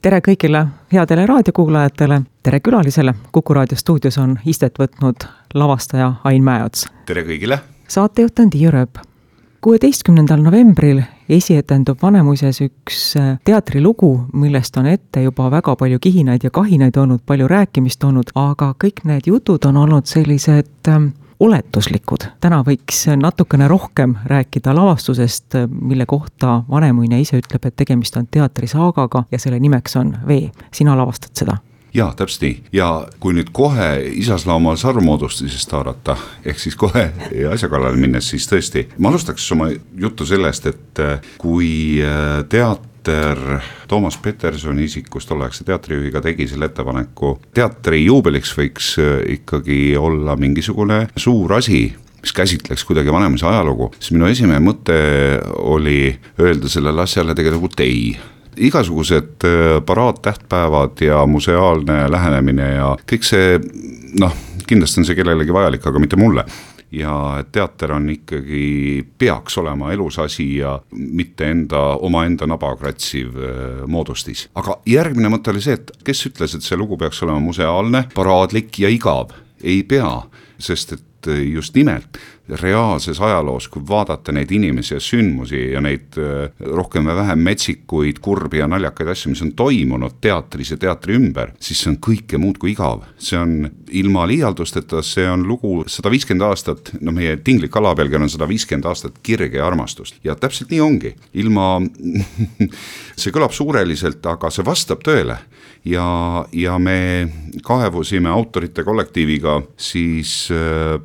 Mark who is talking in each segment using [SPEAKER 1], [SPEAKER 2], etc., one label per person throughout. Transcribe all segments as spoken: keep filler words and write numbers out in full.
[SPEAKER 1] tere kõigile headele raadiokuulajatele, tere külalisele. Kuku raadio stuudios on istet võtnud lavastaja Ain Mäeots.
[SPEAKER 2] Tere kõigile.
[SPEAKER 1] Saatejuht on Tiiu Rööp. kuueteistkümnendal novembril esietendub Vanemuises üks teatrilugu, millest on ette juba väga palju kihinaid ja kahinaid olnud, palju rääkimist olnud, aga kõik need jutud on olnud sellised oletuslikud. Täna võiks natukene rohkem rääkida lavastusest, mille kohta Vanemuine ise ütleb, et tegemist on teatrisaagaga ja selle nimeks on Vee. Sina lavastad seda?
[SPEAKER 2] Jaa, täpselt nii. Ja kui nüüd kohe Isaslaumal sarvmoodustisest haarata, ehk siis kohe asja kallale minnes, siis tõesti, ma alustaks oma juttu sellest, et kui teater Toomas Petersoni isikust ollakse teatrijuhiga tegi selle ettepaneku, teatri juubeliks võiks ikkagi olla mingisugune suur asi, mis käsitleks kuidagi Vanemuise ajalugu, siis minu esimene mõte oli öelda sellele asjale tegelikult ei. Igasugused paraad, tähtpäevad ja museaalne lähenemine ja kõik see, noh, kindlasti on see kellelegi vajalik, aga mitte mulle. Ja teater on ikkagi, peaks olema elus asi ja mitte enda, oma enda naba kratsiv moodustis. Aga järgmine mõte oli see, et kes ütles, et see lugu peaks olema museaalne, paraadlik ja igav? Ei pea, sest et just nimelt reaalses ajaloos, kui vaadata neid inimesi ja sündmusi ja neid rohkem või vähem metsikuid, kurbi ja naljakaid asju, mis on toimunud teatris ja teatri ümber, siis see on kõike muud kui igav. See on ilma liialdusteta, see on lugu sada viiskümmend aastat, no meie tinglik alapealgi on sada viiskümmend aastat kirge ja armastust. Ja täpselt nii ongi. Ilma, see kõlab suureliselt, aga see vastab tõele. Ja, ja me kaevusime autorite kollektiiviga siis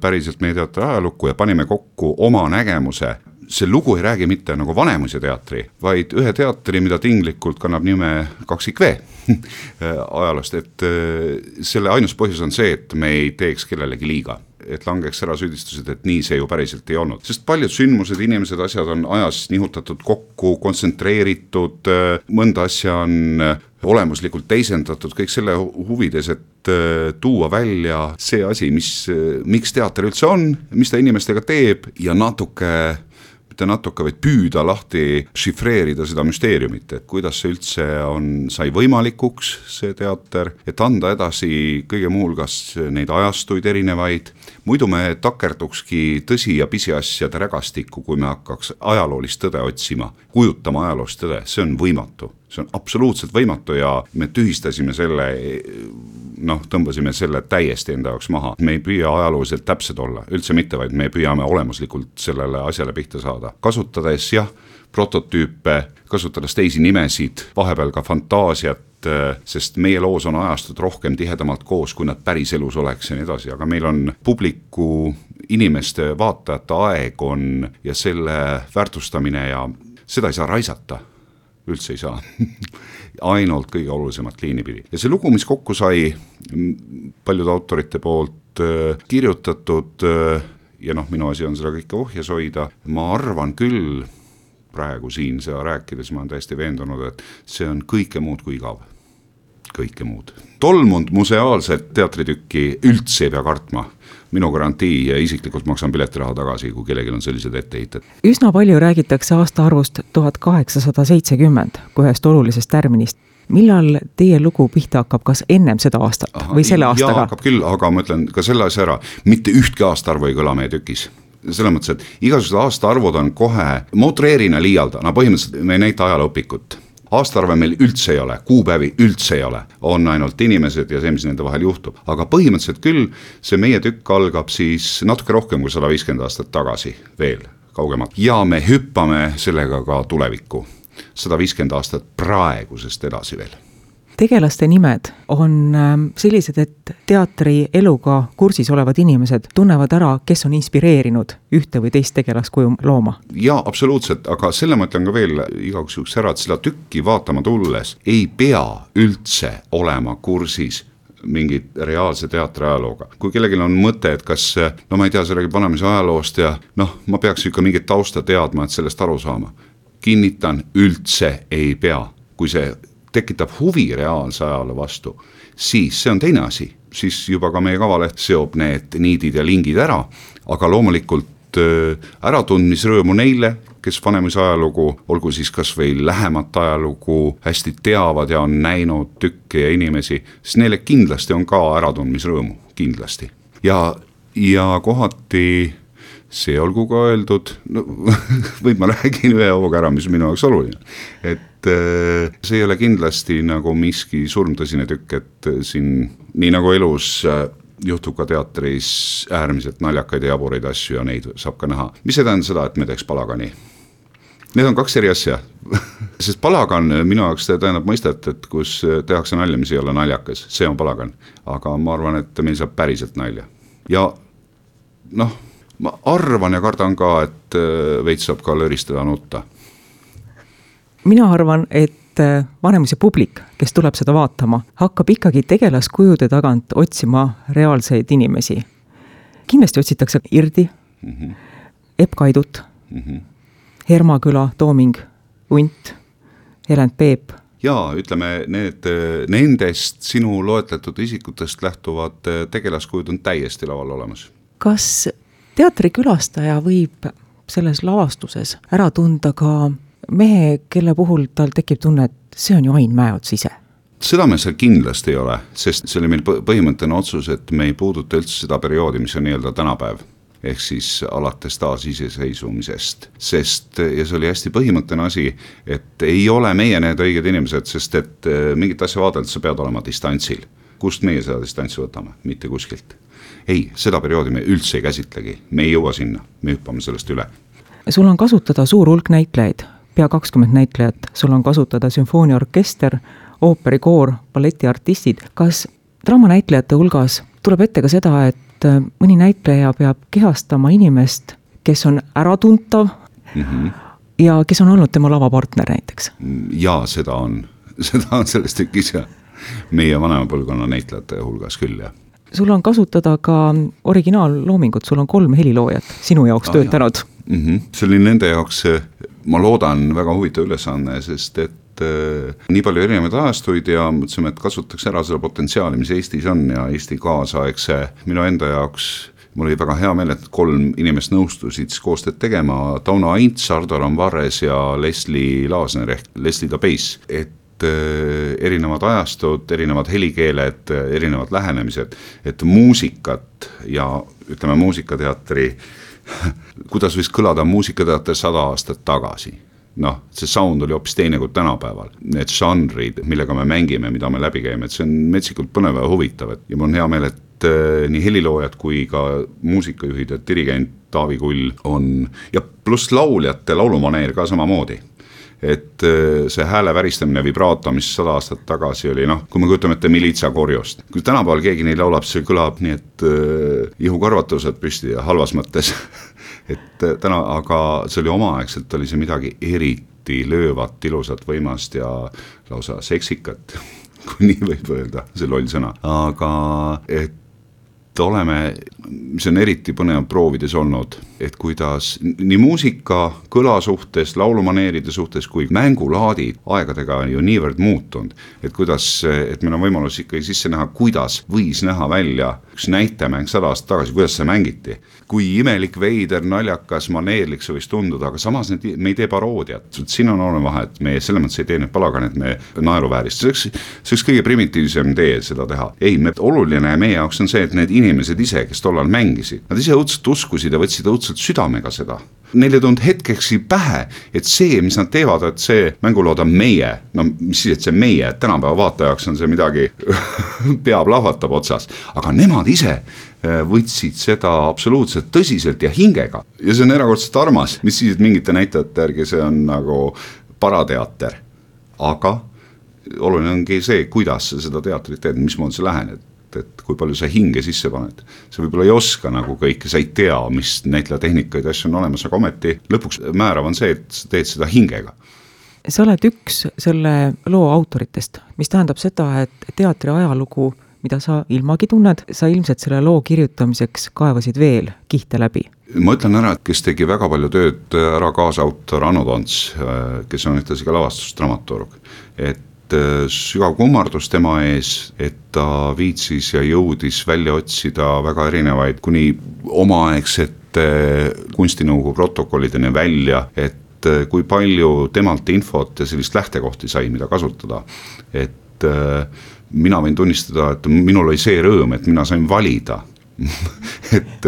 [SPEAKER 2] päriselt meie teatri ajalukku ja panime kokku oma nägemuse. See lugu ei räägi mitte nagu Vanemuise teatri, vaid ühe teatri, mida tinglikult kannab nime Kaksik V ajalost, et selle ainus põhjus on see, et me ei teeks kellelegi liiga, et langeks ära süüdistused, et nii see ju päriselt ei olnud. Sest paljud sündmused, inimesed, asjad on ajas nihutatud kokku, kontsentreeritud, mõnda asja on olemuslikult teisendatud, kõik selle huvides, et tuua välja see asi, mis, miks teater üldse on, mis ta inimestega teeb ja natuke mitte natuke, vaid püüda lahti šifreerida seda müsteeriumit, et kuidas see üldse on, sai võimalikuks see teater, et anda edasi kõige muulgas neid ajastuid erinevaid. Muidu me takerdukski tõsi ja pisiasjade rägastikku, kui me hakkaks ajaloolist tõde otsima, kujutama ajaloost tõde, see on võimatu. See on absoluutselt võimatu ja me tühistasime selle, noh, tõmbasime selle täiesti enda jaoks maha. Me ei püüa ajalooliselt täpsed olla, üldse mitte, vaid me püüame olemuslikult sellele asjale pihta saada. Kasutades, jah, prototüüpe, kasutades teisi nimesid, vahepeal ka fantaasiat, sest meie loos on ajastud rohkem tihedamalt koos, kui nad päris elus oleks ja nii edasi, aga meil on publiku inimeste vaatajate aeg on ja selle väärtustamine ja seda ei saa raisata. Üldse ei saa. Ainult kõige olulisemat liini pidi. Ja see lugu, mis kokku sai paljude autorite poolt kirjutatud ja noh, minu asi on seda kõike ohjes hoida, ma arvan küll praegu siin seda rääkides, ma olen täiesti veendunud, et see on kõike muud kui igav. Kõike muud. Tolmund museaalset teatritükki üldse ei pea kartma. Minu garantii ja isiklikult maksan piletiraha tagasi, kui kellelgi on sellised etteheited.
[SPEAKER 1] Üsna palju räägitakse aastaarvust tuhat kaheksasada seitsekümmend kui ühest olulisest tärminist. Millal teie lugu pihta hakkab, kas ennem seda aastat Aha, või selle aastaga?
[SPEAKER 2] Jaa, hakkab küll, aga ma ütlen ka selle asja ära. Mitte ühtki aastaarvu ei kõla meie tükis. Selles mõttes, et igasugused aastaarvud on kohe motreerina liialda. No põhimõtteliselt me ei näita ajalooõpikut. Aastaarve meil üldse ei ole, kuupäevi üldse ei ole, on ainult inimesed ja see, mis nende vahel juhtub. Aga põhimõtteliselt küll see meie tükk algab siis natuke rohkem kui sada viiskümmend aastat tagasi veel kaugemalt. Ja me hüppame sellega ka tulevikku, sada viiskümmend aastat praegusest edasi veel.
[SPEAKER 1] Tegelaste nimed on sellised, et teatri eluga kursis olevad inimesed tunnevad ära, kes on inspireerinud ühte või teist tegelaskuju looma.
[SPEAKER 2] Jaa, absoluutselt, aga selle ma ütlen ka veel igaks juhuks ära, et seda tükki vaatama tulles ei pea üldse olema kursis mingit reaalse teatri ajalooga. Kui kellelgi on mõte, et kas, no ma ei tea, see räägib Vanemuise ajaloost ja noh, ma peaks ikka mingit tausta teadma, et sellest aru saama. Kinnitan, üldse ei pea. Kui see tekitab huvi reaalse ajaloo vastu, siis see on teine asi. Siis juba ka meie kavaleht seob need niidid ja lingid ära, aga loomulikult äratundmisrõõmu neile, kes Vanemuise ajalugu, olgu siis kas või lähemat ajalugu hästi teavad ja on näinud tükke ja inimesi, siis neile kindlasti on ka äratundmisrõõmu, kindlasti. Ja, ja kohati see olgu ka öeldud, no, või ma räägin ühe hooga ära, mis minu jaoks oluline, et see ei ole kindlasti nagu miski surmtõsine tükk, et siin nii nagu elus juhtub ka teatris äärmiselt naljakaid ja jaburaid asju ja neid saab ka näha. Mis ei tähenda seda, et me teeks palagani? Need on kaks eri asja, sest palagan minu jaoks tähendab mõistet, et kus tehakse nalja, mis ei ole naljakas, see on palagan, aga ma arvan, et meil saab päriselt nalja. Ja noh, ma arvan ja kardan ka, et veits saab ka löristada nutta.
[SPEAKER 1] Mina arvan, et Vanemuise publik, kes tuleb seda vaatama, hakkab ikkagi tegelaskujude tagant otsima reaalseid inimesi. Kindlasti otsitakse Irdi, mm-hmm. Epp Kaidut, mm-hmm. Hermaküla, Tooming, Unt, Helend Peep.
[SPEAKER 2] Jaa, ütleme, need, nendest sinu loetletud isikutest lähtuvad tegelaskujud on täiesti laval olemas.
[SPEAKER 1] Kas teatrikülastaja võib selles lavastuses ära tunda ka mehe, kelle puhul tal tekib tunne, et see on ju Ain Mäeots ise?
[SPEAKER 2] Seda me seal kindlasti ei ole, sest see oli meil põhimõttene otsus, et me ei puuduta üldse seda perioodi, mis on nii-öelda tänapäev, ehk siis alates taas iseseisvumisest. Sest, ja see oli hästi põhimõttene asi, et ei ole meie need õiged inimesed, sest et mingit asja vaadelt sa pead olema distantsil. Kust meie seda distantsi võtame? Mitte kuskilt. Ei, seda perioodi me üldse ei käsitlegi, me ei jõua sinna, me hüppame sellest üle.
[SPEAKER 1] Sul on kasutada suur hulk näitlejaid, pea kakskümmend näitlejat, sul on kasutada sümfooniaorkester, ooperikoor, balletiartistid. Kas draamanäitlejate hulgas tuleb ette ka seda, et mõni näitleja peab kehastama inimest, kes on äratuntav mm-hmm. ja kes on olnud tema lavapartner näiteks?
[SPEAKER 2] Jaa, seda on, seda on sellest tükis ja meie vanema põlvkonna näitlejate hulgas küll, jah.
[SPEAKER 1] Sul on kasutada ka originaalloomingut, sul on kolm heliloojat sinu jaoks ah, töötanud.
[SPEAKER 2] Mm-hmm. See oli nende jaoks, ma loodan, väga huvitav ülesanne, sest et äh, nii palju erinevaid ajastuid ja mõtlesime, et kasutaks ära seda potentsiaali, mis Eestis on ja Eesti kaasaegse minu enda jaoks. Mul oli väga hea meel, et kolm inimest nõustusid koostööd tegema, Tauno Aints, Ardo Ramvarres ja Leslie Laasner ehk Leslie Tabeis, et erinevad ajastud, erinevad helikeeled, erinevad lähenemised, et muusikat ja ütleme muusikateatri, kuidas võis kõlada muusikateater sada aastat tagasi. Noh, see sound oli hoopis teine kui tänapäeval. Need žanrid, millega me mängime, mida me läbi käime, et see on metsikult põnev ja huvitav. Ja mul on hea meel, et nii heliloojad kui ka muusikajuhid ja dirigent Taavi Kull on, ja pluss lauljate laulumaneer ka samamoodi. Et see hääle väristamine vibraato, mis sada aastat tagasi oli, noh, kui me kujutame ette Militsa korjust. Kui tänapäeval keegi neil laulab, see kõlab nii, et äh, ihukarvatused püsti ja halvas mõttes. et täna, aga see oli omaaegselt, oli see midagi eriti löövat, ilusat, võimast ja lausa seksikat, kui nii võib öelda, see loll sõna. Aga et oleme, mis on eriti põnev proovides olnud, et kuidas nii muusika, kõla suhtes, laulumaneeride suhtes kui mängulaadid aegadega on ju niivõrd muutunud, et kuidas, et meil on võimalus ikkagi sisse näha, kuidas võis näha välja üks näitemäng sada aastat tagasi, kuidas see mängiti. Kui imelik, veider, naljakas, maneerlik see võis tunduda, aga samas need, me ei tee paroodiat. Siin on oluline vahe, et me selles mõttes ei tee need palagan, et me naeruväärist. See oleks, see oleks kõige primitiivsem tee seda teha. Ei, me, oluline meie jaoks on see, et need inimesed ise, kes tollal mängisid, nad ise õudselt uskusid ja võtsid õudselt südamega seda. Neile tund hetkeksi pähe, et see, mis nad teevad, et see mängulood on meie, no mis siis, et see meie, et tänapäeva vaatajaks on see midagi peab lahvatab otsas, aga nemad ise võtsid seda absoluutselt tõsiselt ja hingega. Ja see on erakordselt armas, mis siis, et mingite näitajate järgi see on nagu parateater. Aga oluline ongi see, kuidas sa seda teatrit teed, mismoodi sa lähened, et kui palju sa hinge sisse paned. Sa võib-olla ei oska nagu kõike, sa ei tea, mis näitlejatehnikaid asju on olemas, aga ometi lõpuks määrav on see, et sa teed seda hingega.
[SPEAKER 1] Sa oled üks selle loo autoritest, mis tähendab seda, et teatri ajalugu, mida sa ilmagi tunned, sa ilmselt selle loo kirjutamiseks kaevasid veel kihte läbi.
[SPEAKER 2] Ma ütlen ära, et kes tegi väga palju tööd ära kaasautor Anu Tons, kes on ühtlasi ka lavastusdramaturg, et sügav kummardus tema ees, et ta viitsis ja jõudis välja otsida väga erinevaid kuni omaaegsete kunstinõukogu protokollideni välja, et et kui palju temalt infot ja sellist lähtekohti sai, mida kasutada. Et mina võin tunnistada, et minul oli see rõõm, et mina sain valida. et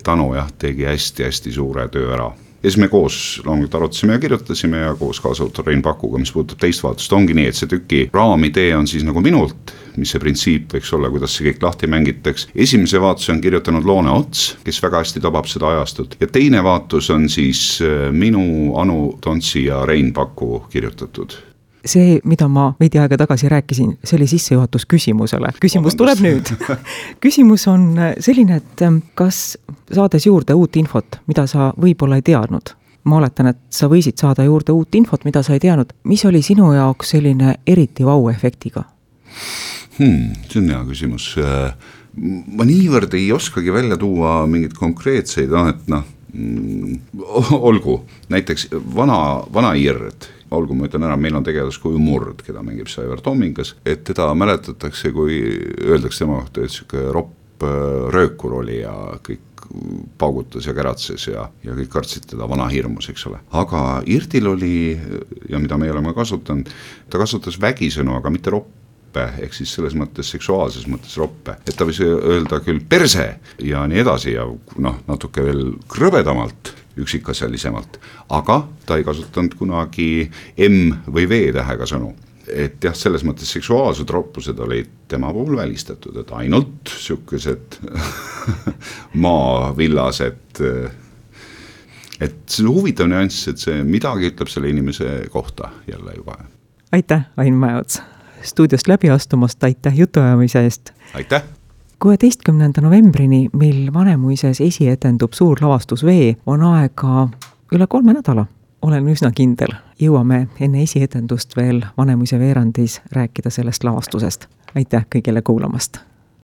[SPEAKER 2] Tanu jah, tegi hästi-hästi suure töö ära. Ja siis me koos loomulikult arutasime ja kirjutasime ja koos kaasautor Rein Pakuga, mis puudutab teist vaatust, ongi nii, et see tüki raamidee on siis nagu minult, mis see printsiip võiks olla, kuidas see kõik lahti mängitaks. Esimese vaatuse on kirjutanud Loone Ots, kes väga hästi tabab seda ajastut. Ja teine vaatus on siis minu, Anu Tontsi ja Rein Paku kirjutatud.
[SPEAKER 1] See, mida ma veidi aega tagasi rääkisin, see oli sissejuhatus küsimusele. Küsimus tuleb nüüd. Küsimus on selline, et kas saades juurde uut infot, mida sa võib-olla ei teadnud, ma oletan, et sa võisid saada juurde uut infot, mida sa ei teadnud, mis oli sinu jaoks selline eriti vau-efektiga?
[SPEAKER 2] Hmm, see on hea küsimus. Ma niivõrd ei oskagi välja tuua mingid konkreetseid, et noh, olgu, näiteks vana, vana Irred, olgu ma ütlen ära, meil on tegelaskuju Murd, keda mängib Saivar Tommingas, et teda mäletatakse, kui öeldakse tema kohta, et siuke ropp röökur oli ja kõik paugutas ja käratses ja, ja kõik kartsid teda vana hirmus, eks ole. Aga Irdil oli, ja mida me oleme kasutanud, ta kasutas vägisõnu, aga mitte roppe, ehk siis selles mõttes seksuaalses mõttes roppe. Et ta võis öelda küll perse ja nii edasi ja noh, natuke veel krõbedamalt, üksikasjalisemalt, aga ta ei kasutanud kunagi M või V tähega sõnu. Et jah, selles mõttes seksuaalsed roppused olid tema puhul välistatud, et ainult sükesed maavillased, et see huvitav nüanss, et see midagi ütleb selle inimese kohta jälle juba.
[SPEAKER 1] Aitäh, Ain Mäeots! Stuudiost läbi astumast, aitäh jutuajamise eest!
[SPEAKER 2] Aitäh!
[SPEAKER 1] kuueteistkümnenda novembrini, mil Vanemuises esietendub suur lavastus V, on aega üle kolme nädala. Olen üsna kindel. Jõuame enne esietendust veel Vanemuise veerandis rääkida sellest lavastusest. Aitäh kõigile kuulamast!